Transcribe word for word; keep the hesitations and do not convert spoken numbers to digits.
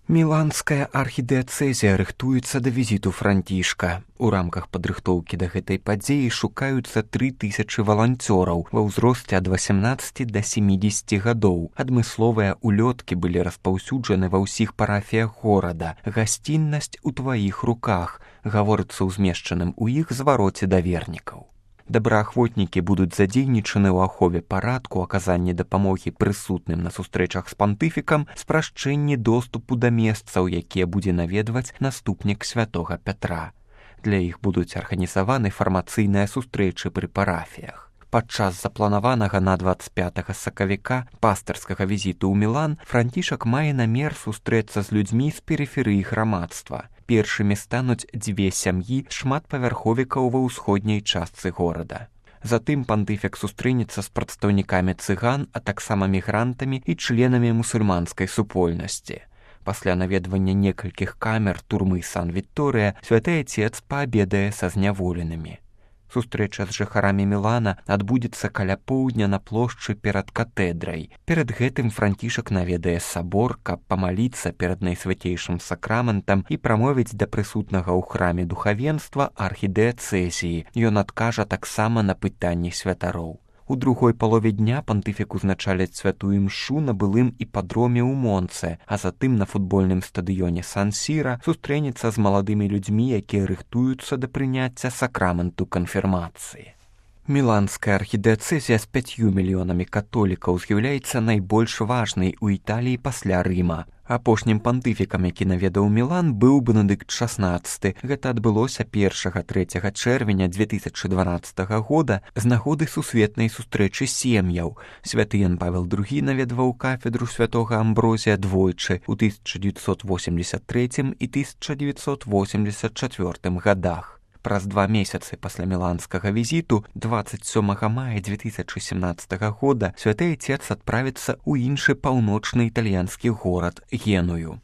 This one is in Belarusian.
Міланская архідыяцэзія рыхтуецца да візіту Францішка. У рамках падрыхтоўкі да гэтай падзеі шукаюцца тры тысячы валанцёраў ва ўзросце ад васямнаццаці да семідзесяці гадоў. Адмысловыя улёткі былі распаўсюджаны ва ўсіх парафіях горада. Гасціннасць у тваіх руках, гаворыцца ў змешчаным у іх звароце да вернікаў. Добраахвотнікі будуць задзейнічаны ў ахове парадку, аказанні дапамогі прысутным на сустрэчах з пантыфікам, спрашчэнні доступу да месцаў, якія будзе наведваць наступнік святога Пятра. Для іх будуць арганізаваны фармацыйныя сустрэчы пры парафіях. Падчас запланаванага на дваццаць пятага сакавіка пастырскага візіту ў Мілан Францішак мае намер сустрэцца з людзьмі з перыферыі грамадства. Першымі стануць дзве сям'і шматпавярховікаў ва ўсходняй частцы горада. Затым пантыфік сустрэнецца з прадстаўнікамі цыган, а таксама мігрантамі і членамі мусульманскай супольнасці. Пасля наведвання некалькіх камер турмы Сан-Вікторыя святы Отец паабедае са зняволенымі. Сустрэча з жыхарамі Мілана адбудзецца каля поўдня на плошчы перад катэдрай. Перад гэтым Францішак наведае сабор, каб памаліцца перад найсвяцейшым сакраментам і прамовіць да прысутнага ў храме духавенства архідыяцэзіі. Ён адкажа таксама на пытанні святароў. У другой палове дня пантыфік узначаліць святую імшу на былым іпадроме ў Монце, а затым на футбольным стадыёне Сан-Сіра сустрэнецца з маладымі людзьмі, якія рыхтуюцца да прыняцця сакраменту канфірмацыі. Міланская архідыяцэзія з пяццю мільёнамі католікаў з'яўляецца найбольш важнай у Італіі пасля Рыма. Апошнім пантыфікам, які наведаў Мілан, быў Бенедыкт шаснаццаты. Гэта адбылося першага-трэцяга чэрвеня дзве тысячы дванаццатага года з нагоды сусветнай сустрэчы сем'яў. Святы Ян Павел другі наведваў кафедру святога Амброзія двойчы ў тысяча дзевяцьсот восемьдесят трэцім і тысяча дзевяцьсот восемьдесят чацвёртым гадах. Праз два месяцы пасля міланскага візіту, дваццаць сёмага мая дзве тысячы сямнаццатага года, святы Отец адправіцца ў іншы паўночны італьянскі горад Геную.